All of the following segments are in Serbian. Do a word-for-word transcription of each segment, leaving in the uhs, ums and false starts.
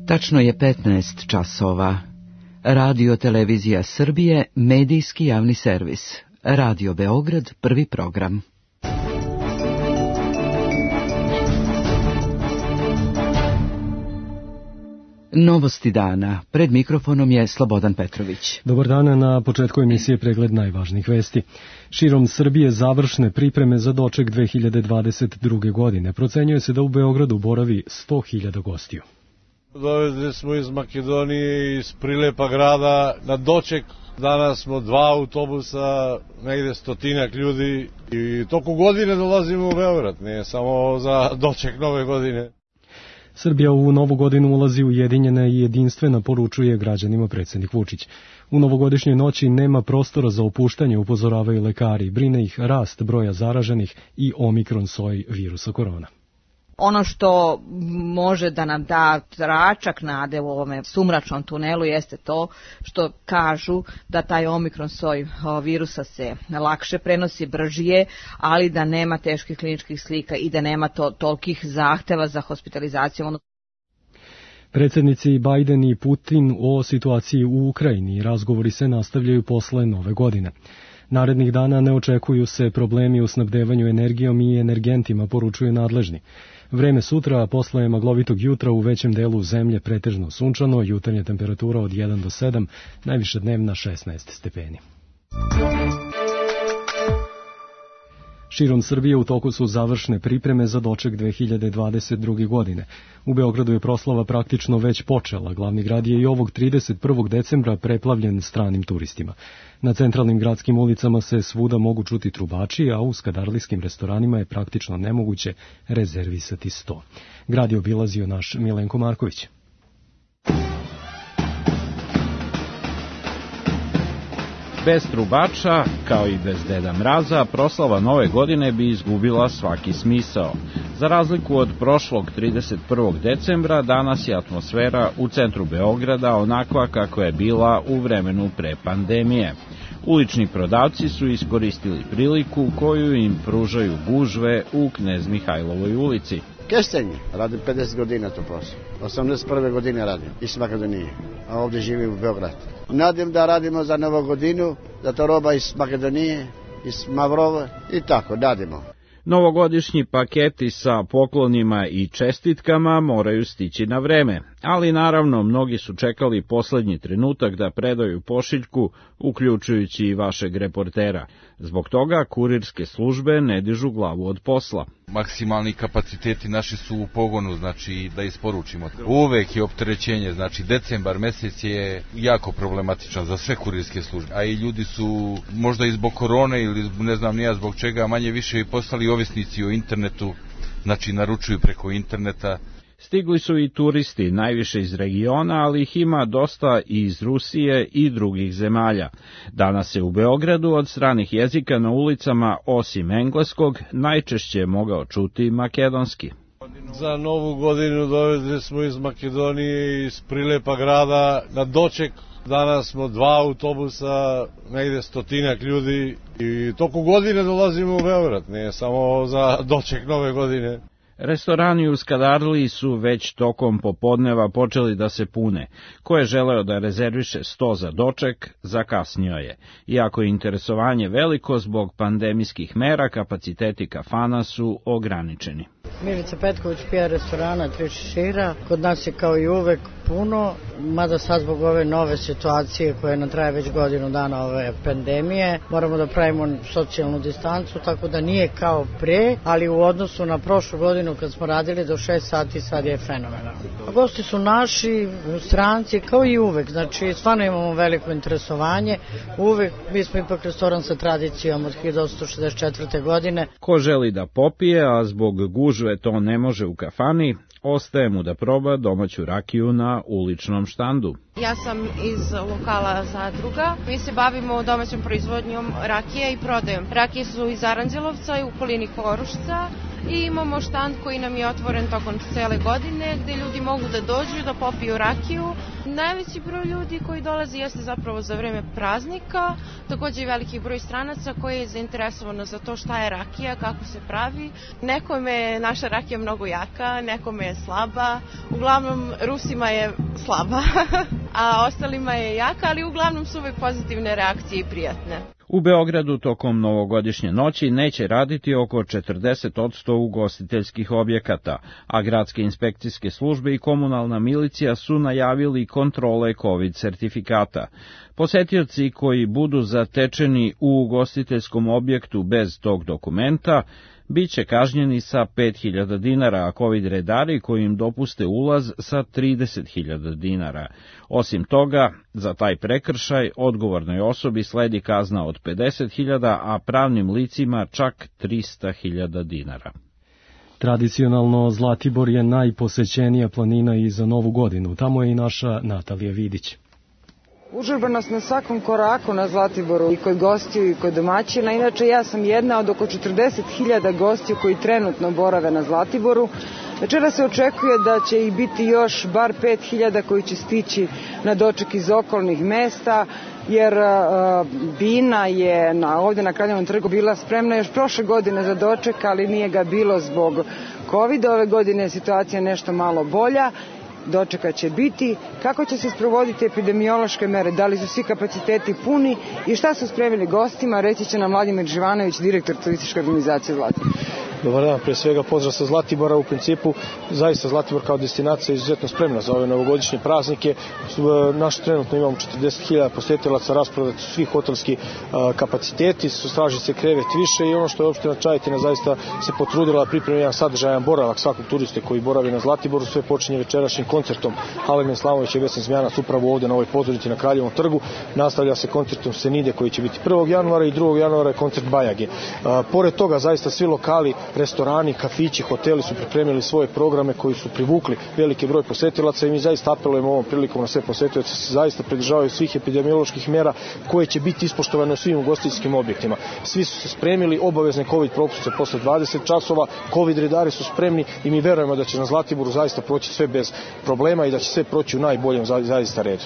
Tačno je petnaest časova. Radio Televizija Srbije, medijski javni servis. Radio Beograd, prvi program. Novosti dana. Pred mikrofonom je Slobodan Petrović. Dobar dan, na početku emisije pregled najvažnijih vesti. Širom Srbije završne pripreme za doček dve hiljade dvadeset druge. godine. Procenjuje se da u Beogradu boravi sto hiljada gostiju. Dovezli smo iz Makedonije, iz prilepa grada na doček. Danas smo dva autobusa, negde stotinak ljudi i toku godine dolazimo u Beograd, nije samo za doček nove godine. Srbija u novu godinu ulazi ujedinjena i jedinstvena, poručuje građanima predsjednik Vučić. U novogodišnjoj noći nema prostora za opuštanje, upozoravaju lekari. Brine ih rast broja zaraženih i omikron soj virusa korona. Ono što može da nam da tračak nade u ovome sumračnom tunelu jeste to što kažu da taj omikron soj virusa se lakše prenosi, bržije, ali da nema teških kliničkih slika i da nema to, tolikih zahteva za hospitalizaciju. Predsjednici Biden i Putin o situaciji u Ukrajini. Razgovori se nastavljaju posle nove godine. Narednih dana ne očekuju se problemi u snabdevanju energijom i energentima, poručuju nadležni. Vreme sutra, a posle maglovitog jutra u većem delu zemlje pretežno sunčano, jutarnja temperatura od jedan do sedam, najviša dnevna šesnaest stepeni. Širom Srbije u toku su završne pripreme za doček dve hiljade dvadeset druge. godine. U Beogradu je proslava praktično već počela. Glavni grad je i ovog trideset prvog decembra preplavljen stranim turistima. Na centralnim gradskim ulicama se svuda mogu čuti trubači, a u skadarlijskim restoranima je praktično nemoguće rezervisati sto. Grad je obilazio naš Milenko Marković. Bez trubača, kao i bez Deda Mraza, proslava nove godine bi izgubila svaki smisao. Za razliku od prošlog trideset prvog decembra, danas je atmosfera u centru Beograda onakva kako je bila u vremenu pre pandemije. Ulični prodavci su iskoristili priliku koju im pružaju gužve u Knez Mihajlovoj ulici. Kestenje, radim pedeset godina to posao. osamdeset prve. godine radim iz Makedonije, a ovdje živim u Beogradu. Nadim da radimo za novu godinu, da to roba iz Makedonije, iz Mavrova i tako radimo. Novogodišnji paketi sa poklonima i čestitkama moraju stići na vreme, ali naravno mnogi su čekali poslednji trenutak da predaju pošiljku, uključujući i vašeg reportera. Zbog toga kurirske službe ne dižu glavu od posla. Maksimalni kapaciteti naši su u pogonu, znači da isporučimo. Uvek je opterećenje, znači decembar mesec je jako problematičan za sve kurirske službe, a i ljudi su možda i zbog korone ili ne znam nija zbog čega manje više i postali ovisnici o internetu, znači naručuju preko interneta. Stigli su i turisti, najviše iz regiona, ali ih ima dosta i iz Rusije i drugih zemalja. Danas se u Beogradu od stranih jezika na ulicama, osim engleskog, najčešće mogao čuti makedonski. Za novu godinu dovezli smo iz Makedonije, iz prilepa grada na doček. Danas smo dva autobusa, negde stotinak ljudi i toku godine dolazimo u Beograd, nije samo za doček nove godine. Restorani u Skadarliji su već tokom popodneva počeli da se pune. Ko je želeo da rezerviše sto za doček, zakasnio je. Iako je interesovanje veliko zbog pandemijskih mera, kapaciteti kafana su ograničeni. Milica Petković, P R restorana Tri šešira. Kod nas je kao i uvek puno, mada sad zbog ove nove situacije koje nam traje već godinu dana ove pandemije, moramo da pravimo socijalnu distancu, tako da nije kao pre, ali u odnosu na prošlu godinu kad smo radili do šest sati, sad je fenomenalno. Gosti su naši, stranci, kao i uvek, znači stvarno imamo veliko interesovanje, uvek, mi smo ipak restoran sa tradicijom od hiljadu osamsto šezdeset četvrte. godine. Ko želi da popije, a zbog gužve to ne može u kafani, ostaje mu da proba domaću rakiju na uličnom štandu. Ja sam iz lokala Zadruga. Mi se bavimo domaćom proizvodnjom rakije i prodajom. Rakije su iz Aranđelovca i u okolini Korušca i imamo štand koji nam je otvoren tokom cele godine gde ljudi mogu da dođu da popiju rakiju. Najveći broj ljudi koji dolazi jeste zapravo za vreme praznika, takođe i veliki broj stranaca koji je zainteresovano za to šta je rakija, kako se pravi. Nekome je naša rakija mnogo jaka, nekome je slaba, uglavnom Rusima je slaba, a ostalima je jaka, ali uglavnom su uvek pozitivne reakcije i prijatne. U Beogradu tokom novogodišnje noći neće raditi oko četrdeset posto ugostiteljskih objekata, a gradske inspekcijske službe i komunalna milicija su najavili kontrole COVID sertifikata. Posetioci koji budu zatečeni u ugostiteljskom objektu bez tog dokumenta biće kažnjeni sa pet hiljada dinara, a COVID redari koji im dopuste ulaz sa trideset hiljada dinara. Osim toga, za taj prekršaj odgovornoj osobi sledi kazna od pedeset hiljada, a pravnim licima čak trista hiljada dinara. Tradicionalno Zlatibor je najposećenija planina i za Novu godinu. Tamo je i naša Natalija Vidić. Užurbanost na svakom koraku na Zlatiboru i kod gostiju i kod domaćina. Inače, ja sam jedna od oko četrdeset hiljada gostiju koji trenutno borave na Zlatiboru. Večera se očekuje da će ih biti još bar pet hiljada koji će stići na doček iz okolnih mesta, jer uh, Bina je na, ovde na Kraljevom trgu bila spremna još prošle godine za doček, ali nije ga bilo zbog kovida. Ove godine je situacija nešto malo bolja. Dočeka će biti, kako će se sprovoditi epidemiološke mere, da li su svi kapaciteti puni i šta su spremili gostima, reći će nam Vladimir Živanović, direktor turističke organizacije Zlatibor. Dobar dan, pre svega pozdrav sa Zlatibora. U principu, zaista Zlatibor kao destinacija je izuzetno spremna za ove novogodišnje praznike. Naš trenutno imamo četrdeset hiljada posetilaca, rasprodati su svi hotelski kapaciteti, su stražice krevet više i ono što je opština Čajetina zaista se potrudila da pripremi jedan sadržajan boravak svakog turiste koji boravi na Zlatiboru. Sve počinje večerašnjim koncertom Alena Islamović i Vesna Zmijanac upravo ovde na ovoj pozornici na Kraljevom trgu. Nastavlja se koncertom Senide koji će biti prvog januara i drugog januara je koncert Bajage. Pored toga zaista svi lokali, restorani, kafići, hoteli su pripremili svoje programe koji su privukli veliki broj posetilaca i mi zaista apelujemo ovom prilikom na sve posetioce da se zaista pridržavaju svih epidemioloških mera koje će biti ispoštovane u svim ugostiteljskim objektima. Svi su se spremili, obavezne COVID propustke posle dvadeset časova, COVID redari su spremni i mi verujemo da će na Zlatiboru zaista proći sve bez problema i da će sve proći u najboljem zaista redu.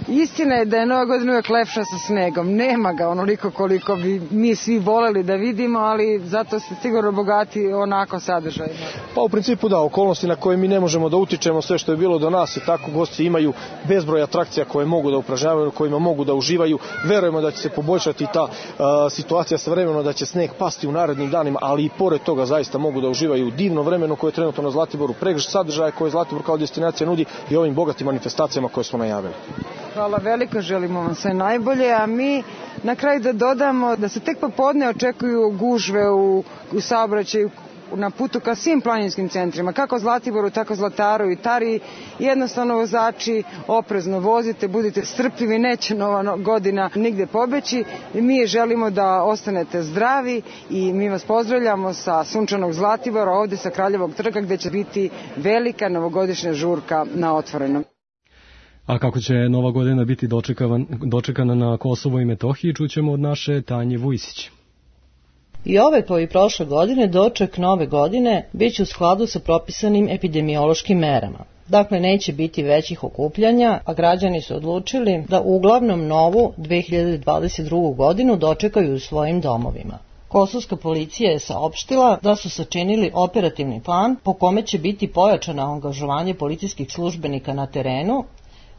Istina je da je Nova godina uvek lepša sa snegom. Nema ga onoliko koliko bi mi svi voleli da vidimo, ali zato se sigurno bogati onako sadržajima. Pa u principu da, okolnosti na koje mi ne možemo da utičemo, sve što je bilo do nas i tako gosti imaju bezbroj atrakcija koje mogu da upražnjavaju, kojima mogu da uživaju. Verujemo da će se poboljšati ta a, situacija sa vremenom, da će sneg pasti u narednim danima, ali i pored toga zaista mogu da uživaju divno vremeno koje je trenutno na Zlatiboru, pregršt sadržaja koje Zlatibor kao destinacija nudi i ovim bogatim manifestacijama koje smo najavili. Hvala veliko, želimo vam sve najbolje, a mi na kraju da dodamo da se tek popodne očekuju gužve u, u saobraćaju na putu ka svim planinskim centrima, kako Zlatiboru, tako Zlataru i Tari. Jednostavno vozači, oprezno vozite, budite strpljivi, neće Nova godina nigde pobeći. Mi želimo da ostanete zdravi i mi vas pozdravljamo sa sunčanog Zlatibora, ovde sa Kraljevog trga gde će biti velika novogodišnja žurka na otvorenom. A kako će Nova godina biti dočekana na Kosovo i Metohiji, čućemo od naše Tanje Vujsić. I ove kao i prošle godine doček Nove godine biće u skladu sa propisanim epidemiološkim merama. Dakle, neće biti većih okupljanja, a građani su odlučili da uglavnom novu dve hiljade dvadeset drugu godinu dočekaju u svojim domovima. Kosovska policija je saopštila da su sačinili operativni plan po kome će biti pojačano angažovanje policijskih službenika na terenu,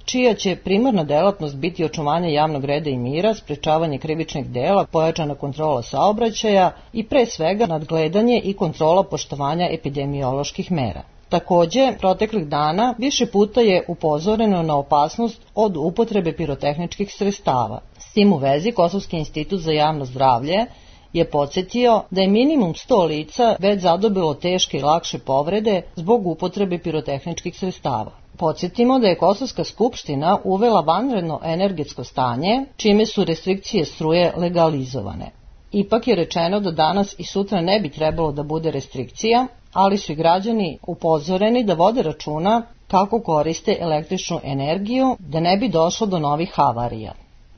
čija će primarna delatnost biti očuvanje javnog reda i mira, sprečavanje krivičnih dela, pojačana kontrola saobraćaja i pre svega nadgledanje i kontrola poštovanja epidemioloških mera. Takođe, proteklih dana više puta je upozoreno na opasnost od upotrebe pirotehničkih sredstava. S tim u vezi, Kosovski institut za javno zdravlje je podsjetio da je minimum sto lica već zadobilo teške i lakše povrede zbog upotrebe pirotehničkih sredstava. Podsjetimo da je Kosovska skupština uvela vanredno energetsko stanje, čime su restrikcije struje legalizovane. Ipak je rečeno da danas i sutra ne bi trebalo da bude restrikcija, ali su i građani upozoreni da vode računa kako koriste električnu energiju, da ne bi došlo do novih havarija.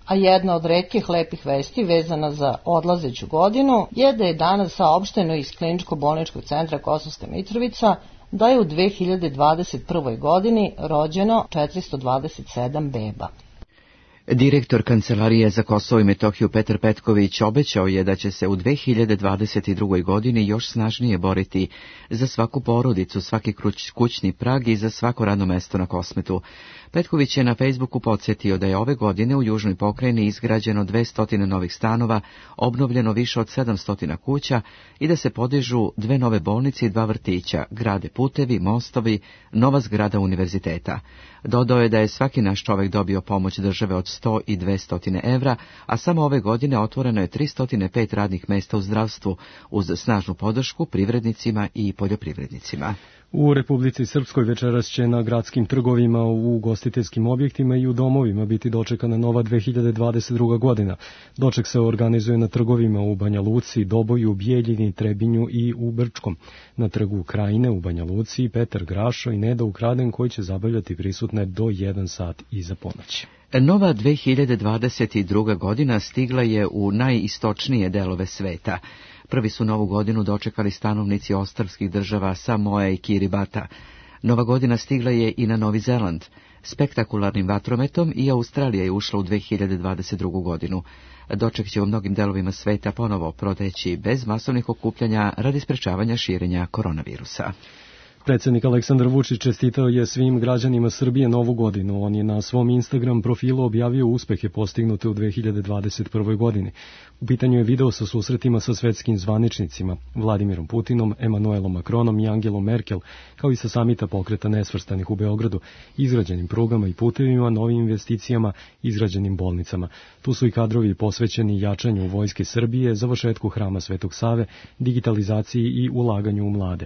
A jedna od retkih lepih vesti vezana za odlazeću godinu je da je danas saopšteno iz Kliničko-bolničkog centra Kosovska Mitrovica da je u dve hiljade dvadeset prvoj godini rođeno četiristo dvadeset sedam beba. Direktor Kancelarije za Kosovo i Metohiju Petar Petković obećao je da će se u dve hiljade dvadeset drugoj godini još snažnije boriti za svaku porodicu, svaki kućni prag i za svako radno mesto na Kosmetu. Petković je na Facebooku podsjetio da je ove godine u Južnoj pokrajini izgrađeno dvesta novih stanova, obnovljeno više od sedamsto kuća i da se podižu dve nove bolnice i dva vrtića, grade putevi, mostovi, nova zgrada univerziteta. Dodao je da je svaki naš čovek dobio pomoć države od sto i dvesta evra, a samo ove godine otvoreno je tristo pet radnih mesta u zdravstvu, uz snažnu podršku privrednicima i poljoprivrednicima. U Republici Srpskoj večeras će na gradskim trgovima, u ugostiteljskim objektima i u domovima biti dočekana nova dve hiljade dvadeset druga godina. Doček se organizuje na trgovima u Banja Luci, Doboju, Bijeljini, Trebinju i u Brčkom. Na trgu Krajine u Banja Luci Petar Grašo i Neda Ukraden koji će zabavljati prisutne do jedan sat iza ponoći. Nova dve hiljade dvadeset druga godina stigla je u najistočnije delove sveta. Prvi su novu godinu dočekali stanovnici ostrvskih država Samoa i Kiribata. Nova godina stigla je i na Novi Zeland. Spektakularnim vatrometom i Australija je ušla u dve hiljade dvadeset drugu godinu. Doček će u mnogim delovima sveta ponovo proteći bez masovnih okupljanja radi sprečavanja širenja koronavirusa. Predsjednik Aleksandar Vučić čestitao je svim građanima Srbije novu godinu. On je na svom Instagram profilu objavio uspehe postignute u dve hiljade dvadeset prvoj godini. U pitanju je video sa susretima sa svetskim zvaničnicima, Vladimirom Putinom, Emanuelom Macronom i Angelom Merkel, kao i sa samita pokreta nesvrstanih u Beogradu, izgrađenim prugama i putevima, novim investicijama, izgrađenim bolnicama. Tu su i kadrovi posvećeni jačanju vojske Srbije, završetku Hrama Svetog Save, digitalizaciji i ulaganju u mlade.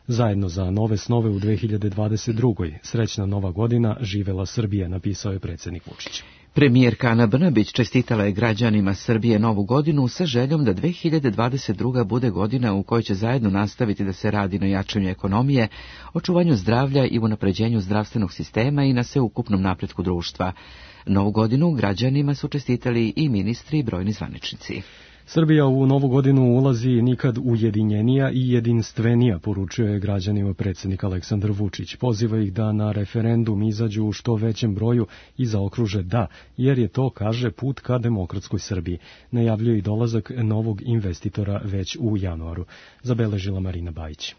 Zajedno za nove snove u dve hiljade dvadeset drugoj. Srećna nova godina, živela Srbija, napisao je predsjednik Vučić. Premijerka Ana Brnabić čestitala je građanima Srbije novu godinu sa željom da dve hiljade dvadeset druga bude godina u kojoj će zajedno nastaviti da se radi na jačanju ekonomije, očuvanju zdravlja i unapređenju zdravstvenog sistema i na sveukupnom napretku društva. Novu godinu građanima su čestitali i ministri i brojni zvaničnici. Srbija u novu godinu ulazi nikad ujedinjenija i jedinstvenija, poručio je građanima predsjednik Aleksandar Vučić. Poziva ih da na referendum izađu u što većem broju i zaokruže da, jer je to, kaže, put ka demokratskoj Srbiji. Najavljuje i dolazak novog investitora već u januaru. Zabeležila Marina Bajić.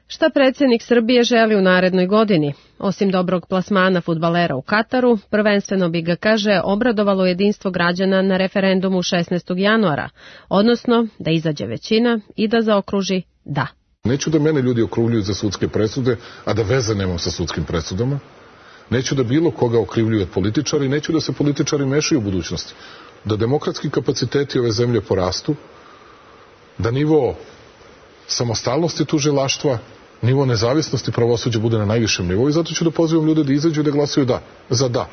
Šta predsjednik Srbije želi u narednoj godini? Osim dobrog plasmana fudbalera u Kataru, prvenstveno bi ga, kaže, obradovalo jedinstvo građana na referendumu šesnaestog januara, odnosno da izađe većina i da zaokruži da. Neću da mene ljudi okrivljuju za sudske presude, a da veze nemam sa sudskim presudama. Neću da bilo koga okrivljuju od političara i neću da se političari mešaju u budućnosti. Da demokratski kapaciteti ove zemlje porastu, da nivo samostalnosti tužilaštva, nivo nezavisnosti pravosuđa bude na najvišem nivou i zato ću da pozivam ljude da izađu i da glasuju da, za da.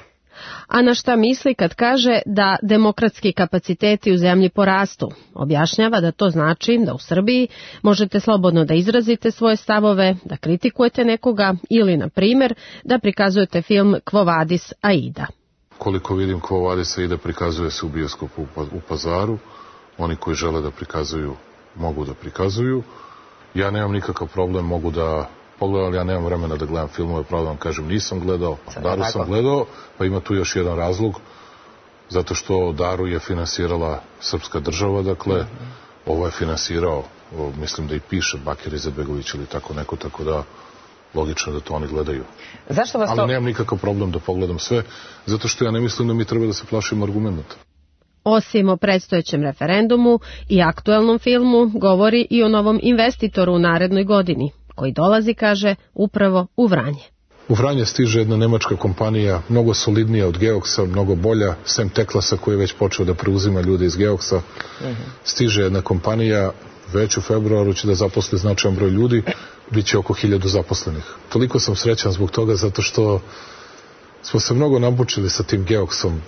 A na šta misli kad kaže da demokratski kapaciteti u zemlji porastu? Objašnjava da to znači da u Srbiji možete slobodno da izrazite svoje stavove, da kritikujete nekoga ili, na primjer, da prikazujete film Quo Vadis Aida. Koliko vidim, Quo Vadis Aida prikazuje se u bioskopu u Pazaru. Oni koji žele da prikazuju mogu da prikazuju. Ja nemam nikakav problem, mogu da pogledam, ali ja nemam vremena da gledam filmove, pravo da vam kažem, nisam gledao, Daru sam gledao, pa ima tu još jedan razlog, zato što Daru je finansirala srpska država, dakle, ovo je finansirao, mislim da i piše Bakir Izetbegović ili tako neko, tako da logično da to oni gledaju. Zašto vas to... Ali nemam nikakav problem da pogledam sve, zato što ja ne mislim da mi treba da se plašimo argumenta. Osim o predstojećem referendumu i aktuelnom filmu, govori i o novom investitoru u narednoj godini, koji dolazi, kaže, upravo u Vranje. U Vranje stiže jedna nemačka kompanija, mnogo solidnija od Geoksa, mnogo bolja, sem Teklasa koji je već počeo da preuzima ljude iz Geoksa. Stiže jedna kompanija, već u februaru će da zaposli značajan broj ljudi, bit će oko hiljadu zaposlenih. Toliko sam srećan zbog toga, zato što smo se mnogo nabučili sa tim Geoksom.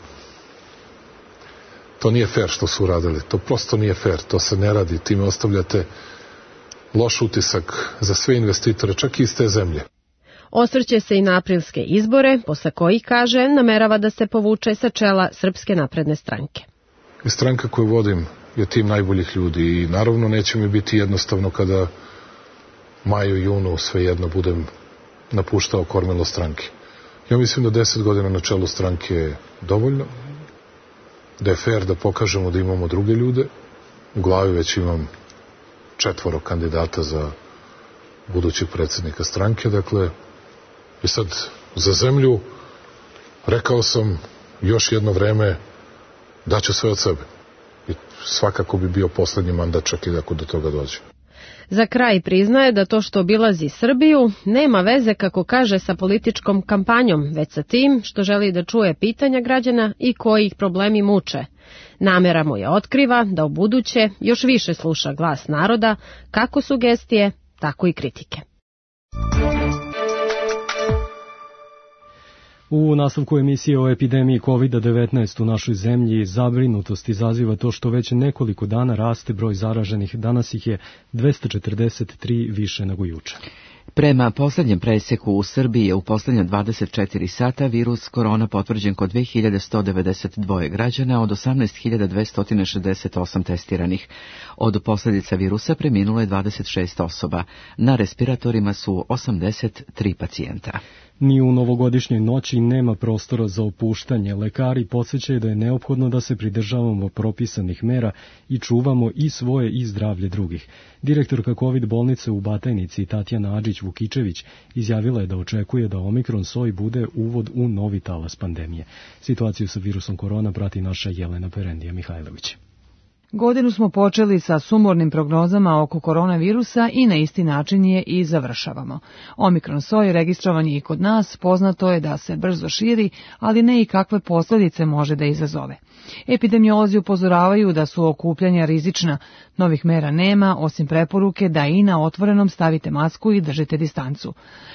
To nije fair što su uradili, to prosto nije fair, to se ne radi, time ostavljate loš utisak za sve investitore, čak i iz te zemlje. Osvrće se i na aprilske izbore, posle kojih, kaže, namerava da se povuče sa čela Srpske napredne stranke. I stranka koju vodim je tim najboljih ljudi i naravno neće mi biti jednostavno kada maju, junu, svejedno budem napuštao kormilo stranke. Ja mislim da deset godina na čelu stranke je dovoljno, da je fair da pokažemo da imamo druge ljude. U glavi već imam četvoro kandidata za budućeg predsjednika stranke, dakle, i sad za zemlju rekao sam još jedno vreme daću sve od sebe. I svakako bi bio poslednji mandat čak i ako do toga dođe. Za kraj priznaje da to što obilazi Srbiju nema veze, kako kaže, sa političkom kampanjom, već sa tim što želi da čuje pitanja građana i koji ih problemi muče. Namera mu je otkriva da u buduće još više sluša glas naroda, kako sugestije, tako i kritike. U nastavku emisije o epidemiji kovid devetnaest u našoj zemlji zabrinutost izaziva to što već nekoliko dana raste broj zaraženih. Danas ih je dvesta četrdeset tri više nego juče. Prema poslednjem preseku u Srbiji je u poslednja dvadeset četiri sata virus korona potvrđen kod dve hiljade sto devedeset dva građana od osamnaest hiljada dvesta šezdeset osam testiranih. Od posljedica virusa preminulo je dvadeset šest osoba. Na respiratorima su osamdeset tri pacijenta. Ni u novogodišnjoj noći nema prostora za opuštanje. Lekari podsjećaju da je neophodno da se pridržavamo propisanih mera i čuvamo i svoje i zdravlje drugih. Direktorka kovid bolnice u Batajnici Tatjana Adžić-Vukičević izjavila je da očekuje da omikron soj bude uvod u novi talas pandemije. Situaciju sa virusom korona prati naša Jelena Perendija Mihajlović. Godinu smo počeli sa sumornim prognozama oko koronavirusa i na isti način je i završavamo. Omikron soj registrovan je i kod nas, poznato je da se brzo širi, ali ne i kakve posljedice može da izazove. Epidemiolozi upozoravaju da su okupljanja rizična, novih mera nema, osim preporuke da i na otvorenom stavite masku i držite distancu.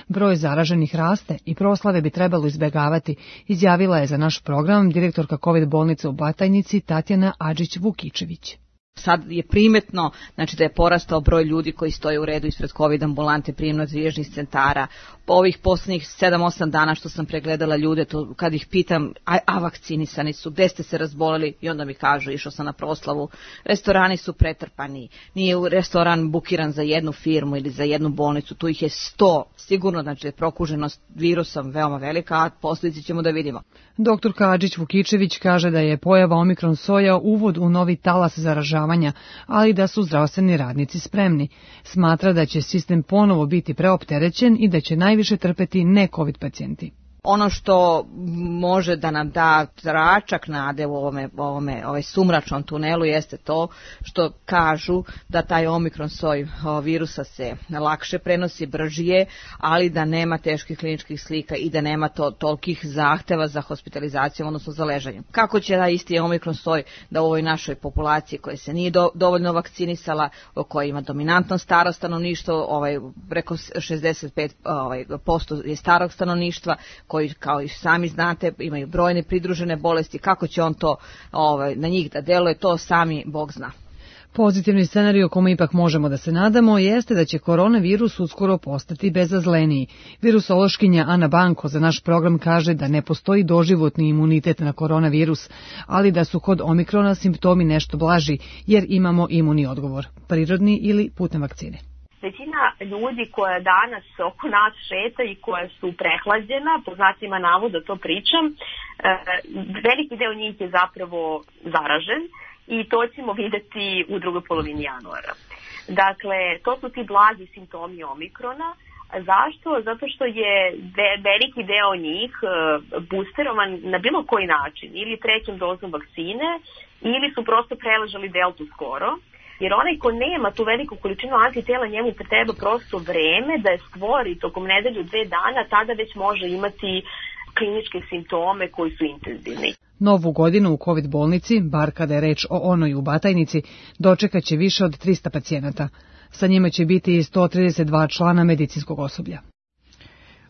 Broj zaraženih raste i proslave bi trebalo izbegavati, izjavila je za naš program direktorka kovid bolnice u Batajnici Tatjana Adžić-Vukičević. Sad je primetno, znači, da je porastao broj ljudi koji stoje u redu ispred COVID ambulante, prijemno-triježnih centara. Po ovih posljednjih sedam osam dana što sam pregledala ljude, to kad ih pitam, a, a vakcinisani su, gde ste se razboleli, i onda mi kažu, išao sam na proslavu, restorani su pretrpani, nije restoran bukiran za jednu firmu ili za jednu bolnicu, tu ih je sto, sigurno, znači, je prokuženost virusom veoma velika, a posljedice ćemo da vidimo. Doktor Adžić-Vukičević kaže da je pojava omikron soja uvod u novi talas zaražavanja, ali da su zdravstveni radnici spremni. Smatra da će sistem ponovo biti preopterećen i da će najviše trpeti ne COVID pacijenti. Ono što može da nam da tračak nade u ovome, ovome, ovaj sumračnom tunelu jeste to što kažu da taj omikron soj virusa se lakše prenosi, bržije, ali da nema teških kliničkih slika i da nema to tolikih zahteva za hospitalizacijom, odnosno za ležanjem. Kako će da isti omikron soj da u ovoj našoj populaciji koja se nije do, dovoljno vakcinisala, koja ima dominantno staro stanovništvo, ovaj, preko šezdeset pet ovaj, posto je starog stanovništva, koji, kao i sami znate, imaju brojne pridružene bolesti, kako će on to ovaj, na njih da deluje, to sami Bog zna. Pozitivni scenarij o kome ipak možemo da se nadamo jeste da će koronavirus uskoro postati bezazleniji. Virusološkinja Ana Banko za naš program kaže da ne postoji doživotni imunitet na koronavirus, ali da su kod omikrona simptomi nešto blaži jer imamo imuni odgovor, prirodni ili putem vakcine. Većina ljudi koja danas oko nas šeta i koja su prehlađena, po znacima navoda to pričam, veliki deo njih je zapravo zaražen i to ćemo videti u drugoj polovini januara. Dakle, to su ti blagi simptomi omikrona. Zašto? Zato što je veliki deo njih boosterovan na bilo koji način, ili trećom dozom vakcine, ili su prosto preležali deltu skoro. Jer onaj ko nema tu veliku količinu antitela, njemu treba prosto vreme da je stvori tokom nedelju, dve dana, tada već može imati kliničke simptome koji su intenzivni. Novu godinu u COVID bolnici, bar kada je reč o onoj u Batajnici, dočekat će više od trista pacijenata. Sa njima će biti i sto trideset dva člana medicinskog osoblja.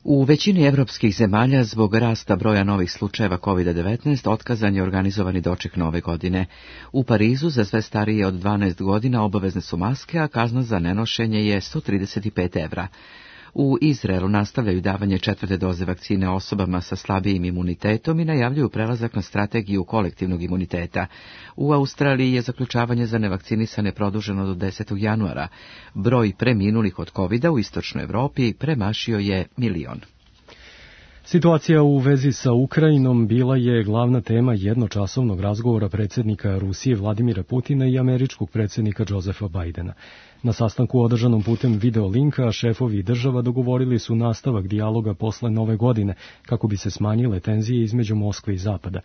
U većini evropskih zemalja zbog rasta broja novih slučajeva kovid devetnaest otkazan je organizovani doček nove godine. U Parizu za sve starije od dvanaest godina obavezne su maske, a kazna za nenošenje je sto trideset pet evra. U Izraelu nastavljaju davanje četvrte doze vakcine osobama sa slabijim imunitetom i najavljuju prelazak na strategiju kolektivnog imuniteta. U Australiji je zaključavanje za nevakcinisane produženo do desetog januara. Broj preminulih od kovida u istočnoj Evropi premašio je milion. Situacija u vezi sa Ukrajinom bila je glavna tema jednočasovnog razgovora predsjednika Rusije Vladimira Putina i američkog predsjednika Josefa Bidena. Na sastanku održanom putem videolinka šefovi država dogovorili su nastavak dijaloga posle nove godine kako bi se smanjile tenzije između Moskve i Zapada.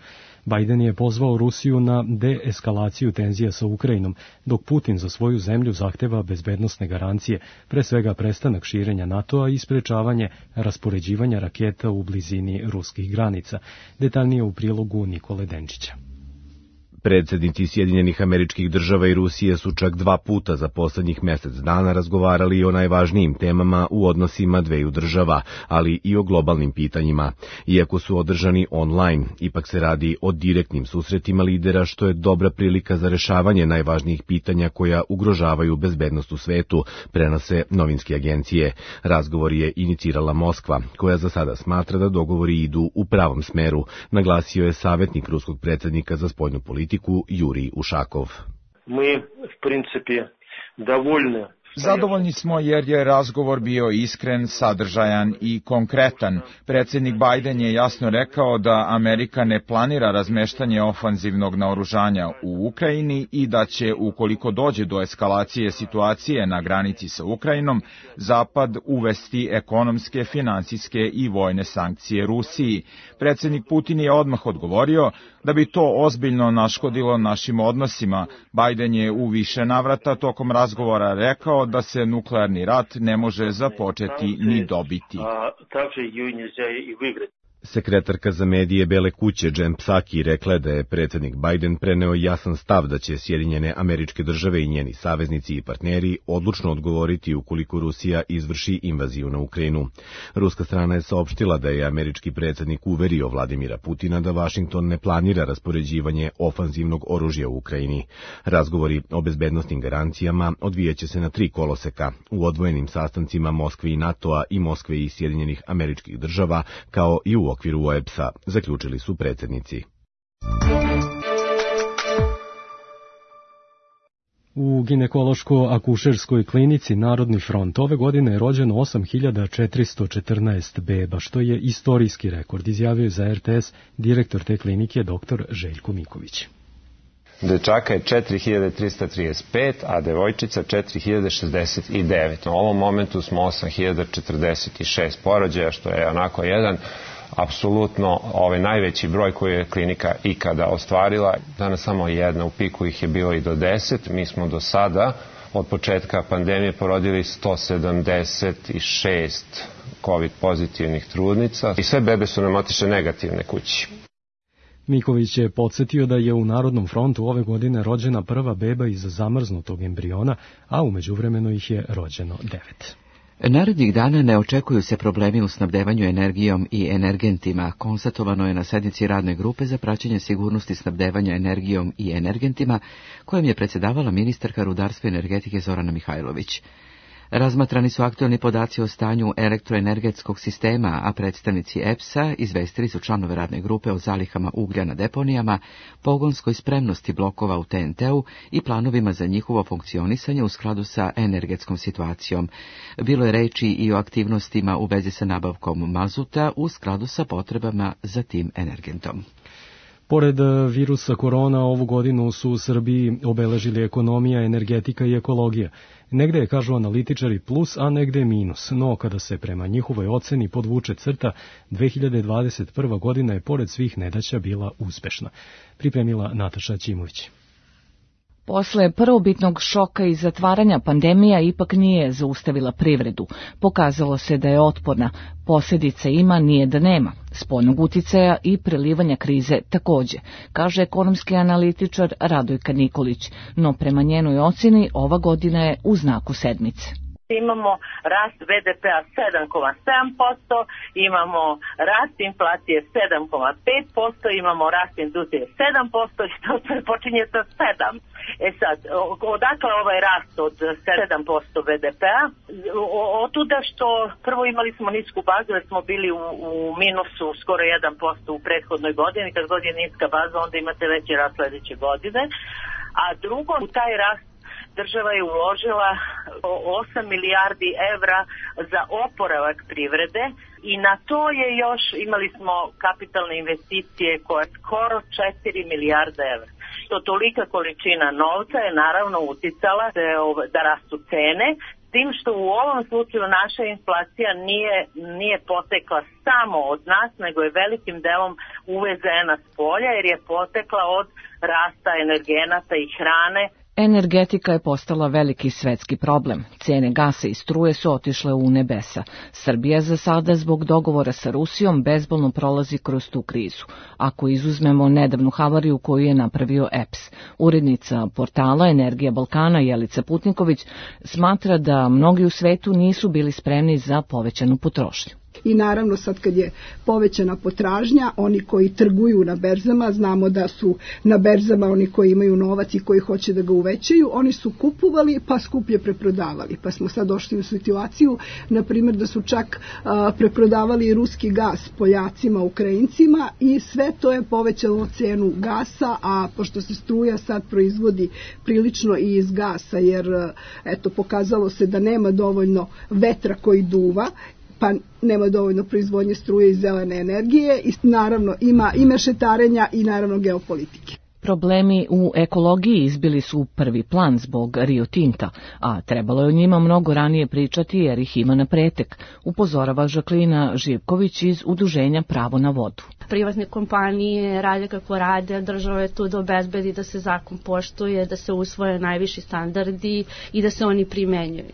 Biden je pozvao Rusiju na deeskalaciju tenzija sa Ukrajinom, dok Putin za svoju zemlju zahteva bezbednosne garancije, pre svega prestanak širenja NATO-a i sprečavanje raspoređivanja raketa u blizini ruskih granica. Detaljnije u prilogu Nikole Denčića. Predsjednici Sjedinjenih Američkih Država i Rusije su čak dva puta za poslednjih mesec dana razgovarali o najvažnijim temama u odnosima dveju država, ali i o globalnim pitanjima. Iako su održani online, ipak se radi o direktnim susretima lidera, što je dobra prilika za rešavanje najvažnijih pitanja koja ugrožavaju bezbednost u svetu, prenose novinske agencije. Razgovor je inicirala Moskva, koja za sada smatra da dogovori idu u pravom smeru, naglasio je savjetnik ruskog predsjednika za spoljnu politiku Jurij Ušakov. Mi, v principi, dovoljni. Zadovoljni smo jer je razgovor bio iskren, sadržajan i konkretan. Predsjednik Biden je jasno rekao da Amerika ne planira razmeštanje ofanzivnog naoružanja u Ukrajini i da će, ukoliko dođe do eskalacije situacije na granici sa Ukrajinom, Zapad uvesti ekonomske, finansijske i vojne sankcije Rusiji. Predsjednik Putin je odmah odgovorio da bi to ozbiljno naškodilo našim odnosima. Biden je u više navrata tokom razgovora rekao da se nuklearni rat ne može započeti ni dobiti. Sekretarka za medije Bele kuće Jen Psaki rekla je da je predsjednik Biden preneo jasan stav da će Sjedinjene Američke Države i njeni saveznici i partneri odlučno odgovoriti ukoliko Rusija izvrši invaziju na Ukrajinu. Ruska strana je saopštila da je američki predsjednik uverio Vladimira Putina da Vašington ne planira raspoređivanje ofanzivnog oružja u Ukrajini. Razgovori o bezbednosnim garancijama odvijaće se na tri koloseka, u odvojenim sastancima Moskve i NATO-a i Moskve i Sjedinjenih Američkih Država, kao i u okviru O E B S-a, zaključili su predsjednici. U ginekološko-akušerskoj klinici Narodni front ove godine je rođeno osam hiljada četiristo četrnaest beba, što je istorijski rekord, izjavio za R T S direktor te klinike dr. Željko Miković. Dečaka je četiri hiljade trista trideset pet, a devojčica četiri hiljade šezdeset devet. U ovom momentu smo osam hiljada četrdeset šest porođaja, što je onako jedan apsolutno ovaj najveći broj koji je klinika ikada ostvarila. Danas samo jedna, u piku ih je bilo i do deset. Mi smo do sada, od početka pandemije, porodili sto sedamdeset šest COVID pozitivnih trudnica i sve bebe su nam otišle negativne kući. Miković je podsjetio da je u Narodnom frontu ove godine rođena prva beba iz zamrznutog embriona, a u međuvremenu ih je rođeno devet. Narednih dana ne očekuju se problemi u snabdevanju energijom i energentima. Konstatovano je na sednici radne grupe za praćenje sigurnosti snabdevanja energijom i energentima, kojom je predsjedavala ministarka rudarstva i energetike Zorana Mihajlović. Razmatrani su aktualni podaci o stanju elektroenergetskog sistema, a predstavnici E P S-a izvestili su članove radne grupe o zalihama uglja na deponijama, pogonskoj spremnosti blokova u T N T-u i planovima za njihovo funkcionisanje u skladu sa energetskom situacijom. Bilo je reči i o aktivnostima u vezi sa nabavkom mazuta u skladu sa potrebama za tim energentom. Pored virusa korona, ovu godinu su u Srbiji obeležili ekonomija, energetika i ekologija. Negde je, kažu analitičari, plus, a negde je minus. No, kada se prema njihovoj oceni podvuče crta, dve hiljade dvadeset prva godina je pored svih nedaća bila uspešna. Pripremila Nataša Ćimović. Posle prvobitnog šoka i zatvaranja pandemija ipak nije zaustavila privredu. Pokazalo se da je otporna. Posljedice ima, nije da nema. Spoljnog uticaja i prelivanja krize takođe, kaže ekonomski analitičar Radojka Nikolić. No prema njenoj ocjeni ova godina je u znaku sedmice. Imamo rast B D P-a sedam zarez sedam posto, imamo rast inflacije sedam zarez pet posto, imamo rast industrije sedam posto i to sve počinje sa sedam. E sad, odakle ovaj rast od sedam posto B D P-a? Otuda što prvo imali smo nisku bazu jer smo bili u, u minusu skoro jedan posto u prethodnoj godini. Kad god je niska baza onda imate veći rast sledeće godine. A drugo, u taj rast država je uložila osam milijardi evra za oporavak privrede i na to je još, imali smo kapitalne investicije koje skoro četiri milijarde evra. To tolika količina novca je naravno uticala da rastu cene, tim što u ovom slučaju naša inflacija nije, nije potekla samo od nas, nego je velikim delom uvezena s polja jer je potekla od rasta energenata i hrane. Energetika je postala veliki svetski problem. Cene gasa i struje su otišle u nebesa. Srbija za sada zbog dogovora sa Rusijom bezbolno prolazi kroz tu krizu. Ako izuzmemo nedavnu havariju koju je napravio E P S. Urednica portala Energija Balkana Jelica Putniković smatra da mnogi u svetu nisu bili spremni za povećanu potrošnju. I naravno sad kad je povećana potražnja, oni koji trguju na berzama, znamo da su na berzama oni koji imaju novac i koji hoće da ga uvećaju, oni su kupovali pa skuplje preprodavali. Pa smo sad došli u situaciju, na primjer da su čak a, preprodavali ruski gas Poljacima, Ukrajincima i sve to je povećalo cenu gasa, a pošto se struja sad proizvodi prilično i iz gasa, jer eto pokazalo se da nema dovoljno vetra koji duva, pa nema dovoljno proizvodnje struje i zelene energije i naravno ima i mešetarenja i naravno geopolitike. Problemi u ekologiji izbili su u prvi plan zbog Rio Tinta, a trebalo je o njima mnogo ranije pričati jer ih ima na pretek, upozorava Žaklina Živković iz Udruženja Pravo na vodu. Privatne kompanije rade kako rade, država je tu da obezbedi da se zakon poštuje, da se usvoje najviši standardi i da se oni primenjuju.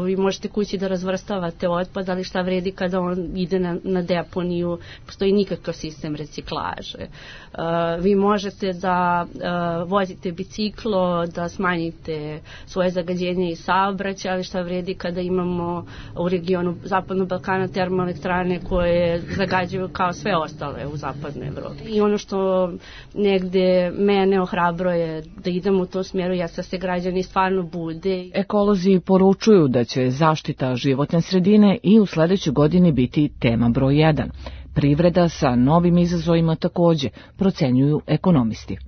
Vi možete kući da razvrstavate otpad, ali šta vredi kada on ide na, na deponiju, postoji nikakav sistem reciklaže. Uh, vi možete da uh, vozite biciklo, da smanjite svoje zagađenje i saobraćaj, ali šta vredi kada imamo u regionu Zapadnog Balkana termoelektrane koje zagađuju kao sve ostale u Zapadnoj Evropi. I ono što negde mene ohrabro je da idemo u tom smjeru, ja sa se građani stvarno bude. Ekolozi poručuju da će zaštita životne sredine i u sledećoj godini biti tema broj jedan. Privreda sa novim izazovima takođe, procenjuju ekonomisti.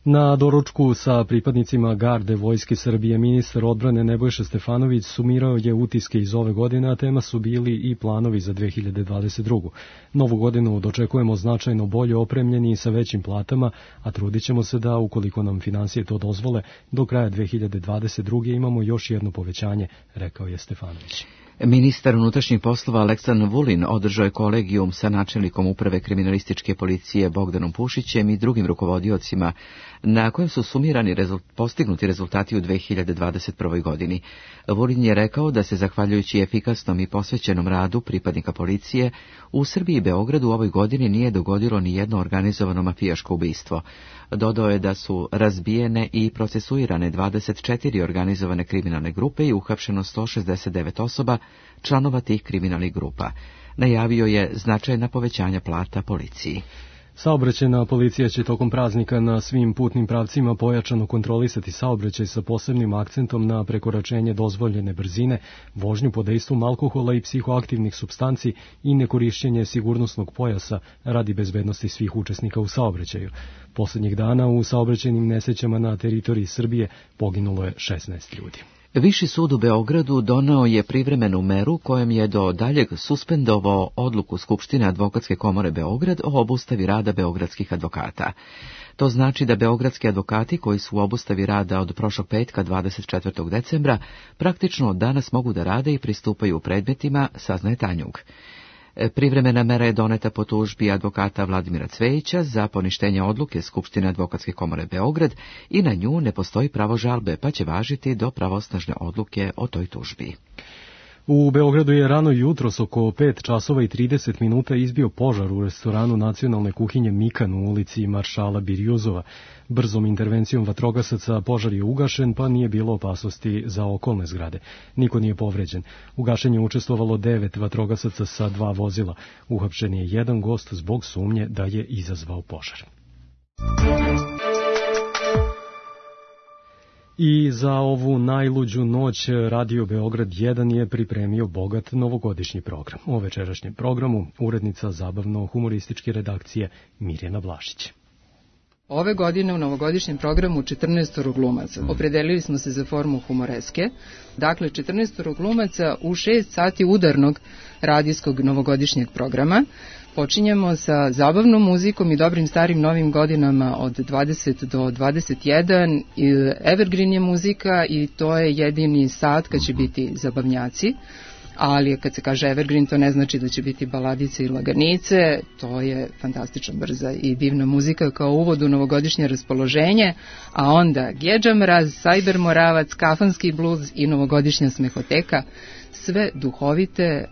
Na doručku sa pripadnicima garde Vojske Srbije ministar odbrane Nebojša Stefanović sumirao je utiske iz ove godine, a tema su bili i planovi za dve hiljade dvadeset drugu. Novu godinu dočekujemo značajno bolje opremljeni i sa većim platama, a trudit ćemo se da, ukoliko nam finansije to dozvole, do kraja dve hiljade dvadeset druge imamo još jedno povećanje, rekao je Stefanović. Ministar unutrašnjih poslova Aleksandar Vulin održao je kolegijum sa načelnikom uprave kriminalističke policije Bogdanom Pušićem i drugim rukovodiocima, na kojem su sumirani rezult, postignuti rezultati u dve hiljade dvadeset prvoj godini. Vulin je rekao da se, zahvaljujući efikasnom i posvećenom radu pripadnika policije, u Srbiji i Beogradu u ovoj godini nije dogodilo ni jedno organizovano mafijaško ubistvo. Dodao je da su razbijene i procesuirane dvadeset četiri organizovane kriminalne grupe i uhapšeno sto šezdeset devet osoba, članova tih kriminalnih grupa. Najavio je značajna povećanja plata policiji. Saobraćajna policija će tokom praznika na svim putnim pravcima pojačano kontrolisati saobraćaj sa posebnim akcentom na prekoračenje dozvoljene brzine, vožnju pod dejstvom alkohola i psihoaktivnih supstanci i nekorišćenje sigurnosnog pojasa radi bezbednosti svih učesnika u saobraćaju. Poslednjih dana u saobraćajnim nesrećama na teritoriji Srbije poginulo je šesnaest ljudi. Viši sud u Beogradu doneo je privremenu meru kojom je do daljeg suspendovao odluku Skupštine Advokatske komore Beograd o obustavi rada beogradskih advokata. To znači da beogradski advokati koji su u obustavi rada od prošlog petka dvadeset četvrtog decembra praktično od danas mogu da rade i pristupaju predmetima, saznaje Tanjug. Privremena mera je doneta po tužbi advokata Vladimira Cvejića za poništenje odluke Skupštine Advokatske komore Beograd i na nju ne postoji pravo žalbe, pa će važiti do pravosnažne odluke o toj tužbi. U Beogradu je rano jutros oko pet časova i trideset minuta izbio požar u restoranu nacionalne kuhinje Mikan u ulici Maršala Birjuzova. Brzom intervencijom vatrogasaca požar je ugašen, pa nije bilo opasnosti za okolne zgrade. Niko nije povređen. U gašenju učestvovalo devet vatrogasaca sa dva vozila. Uhapšen je jedan gost zbog sumnje da je izazvao požar. I za ovu najluđu noć Radio Beograd jedan je pripremio bogat novogodišnji program. U večerašnjem programu urednica zabavno-humorističke redakcije Mirjana Blašić. Ove godine u novogodišnjem programu četrnaestoro glumaca. Opredelili smo se za formu humoreske. Dakle, četrnaestoro glumaca u šest sati udarnog radijskog novogodišnjeg programa. Počinjemo sa zabavnom muzikom i dobrim starim novim godinama od dvadeset do dvadeset jedan. Evergreen je muzika i to je jedini sat kad će biti zabavnjaci. Ali kad se kaže evergreen, to ne znači da će biti baladice i laganice, to je fantastično brza i divna muzika kao uvod u novogodišnje raspoloženje, a onda Gedža Mraz, Sajber Moravac, Kafanski bluz i novogodišnja smehoteka, sve duhovite e,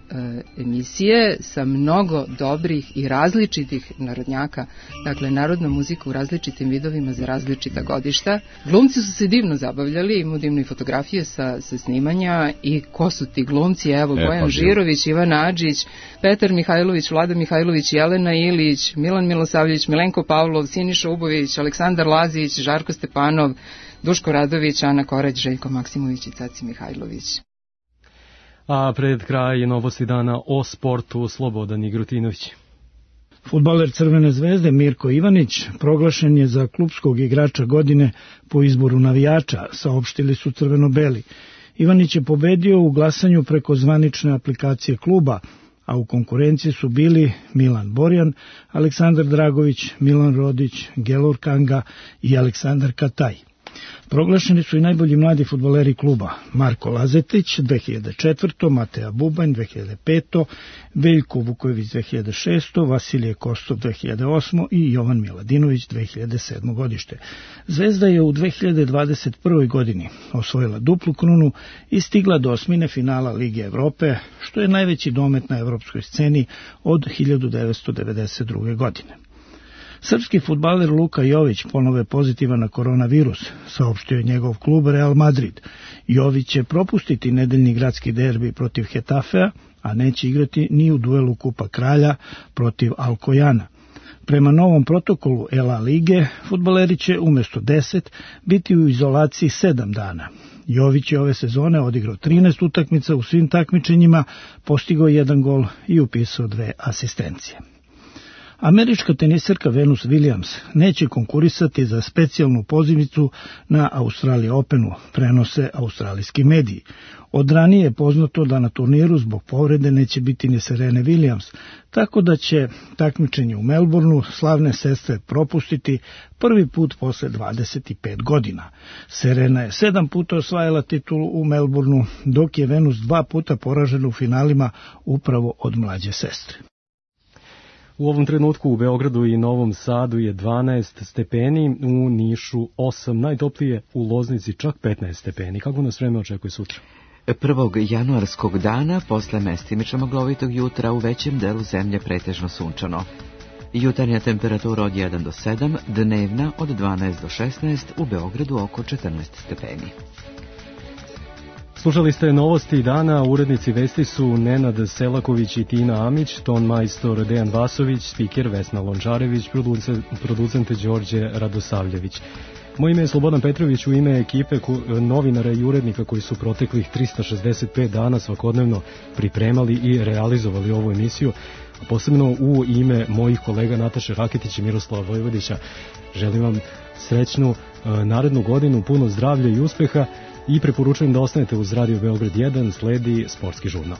emisije sa mnogo dobrih i različitih narodnjaka, dakle narodna muzika u različitim vidovima za različita godišta. Glumci su se divno zabavljali, imaju divne fotografije sa, sa snimanja i ko su ti glumci, evo e, Bojan pa, Žirović, Ivan Adžić, Petar Mihajlović, Vlada Mihajlović, Jelena Ilić, Milan Milosavljević, Milenko Pavlov, Siniša Ubović, Aleksandar Lazić, Žarko Stepanov, Duško Radović, Ana Korać, Željko Maksimović i Caci Mihajlović. A pred kraj novosti dana o sportu Slobodan Igrutinović. Fudbaler Crvene zvezde Mirko Ivanić proglašen je za klupskog igrača godine po izboru navijača, saopštili su crveno-beli. Ivanić je pobedio u glasanju preko zvanične aplikacije kluba, a u konkurenciji su bili Milan Borjan, Aleksandar Dragović, Milan Rodić, Gelor Kanga i Aleksandar Kataj. Proglašeni su i najbolji mladi fudbaleri kluba: Marko Lazetić dve hiljade četvrte. Mateja Bubanj dve hiljade pete. Veljko Vukojević dve hiljade šeste. Vasilije Kostov dve hiljade osme. i Jovan Miladinović dve hiljade sedme. godište. Zvezda je u dve hiljade dvadeset prve. godini osvojila duplu krunu i stigla do osmine finala Lige Evrope, što je najveći domet na evropskoj sceni od hiljadu devetsto devedeset druge. godine. Srpski fudbaler Luka Jović ponovo je pozitivan na koronavirus, saopštio je njegov klub Real Madrid. Jović će propustiti nedeljni gradski derbi protiv Hetafea, a neće igrati ni u duelu Kupa Kralja protiv Alkojana. Prema novom protokolu Ela Lige, fudbaleri će umjesto deset biti u izolaciji sedam dana. Jović je ove sezone odigrao trinaest utakmica u svim takmičenjima, postigao jedan gol i upisao dve asistencije. Američka teniserka Venus Williams neće konkurisati za specijalnu pozivnicu na Australian Openu, prenose australijski mediji. Od ranije je poznato da na turniru zbog povrede neće biti ni Serene Williams, tako da će takmičenje u Melbourneu slavne sestre propustiti prvi put posle dvadeset pet godina. Serena je sedam puta osvajala titulu u Melbourneu, dok je Venus dva puta poražena u finalima upravo od mlađe sestre. U ovom trenutku u Beogradu i Novom Sadu je dvanaest stepeni, u Nišu osam, najtoplije u Loznici čak petnaest stepeni. Kako nas vreme očekuje sutra? Prvog januarskog dana, posle mestimično maglovitog jutra, u većem delu zemlje pretežno sunčano. Jutarnja temperatura od jedan do sedam, dnevna od dvanaest do šesnaest, u Beogradu oko četrnaest stepeni. Slušali ste novosti dana, urednici vesti su Nenad Selaković i Tina Amić, ton majstor Dejan Vasović, spiker Vesna Lončarević, producent Đorđe Radosavljević. Moje ime je Slobodan Petrović, u ime ekipe novinara i urednika koji su proteklih trista šezdeset pet dana svakodnevno pripremali i realizovali ovu emisiju. Posebno u ime mojih kolega Nataše Raketić i Miroslava Vojvodića želim vam srećnu narednu godinu, puno zdravlja i uspeha i preporučujem da ostanete uz Radio Beograd jedan, sledi sportski žurnal.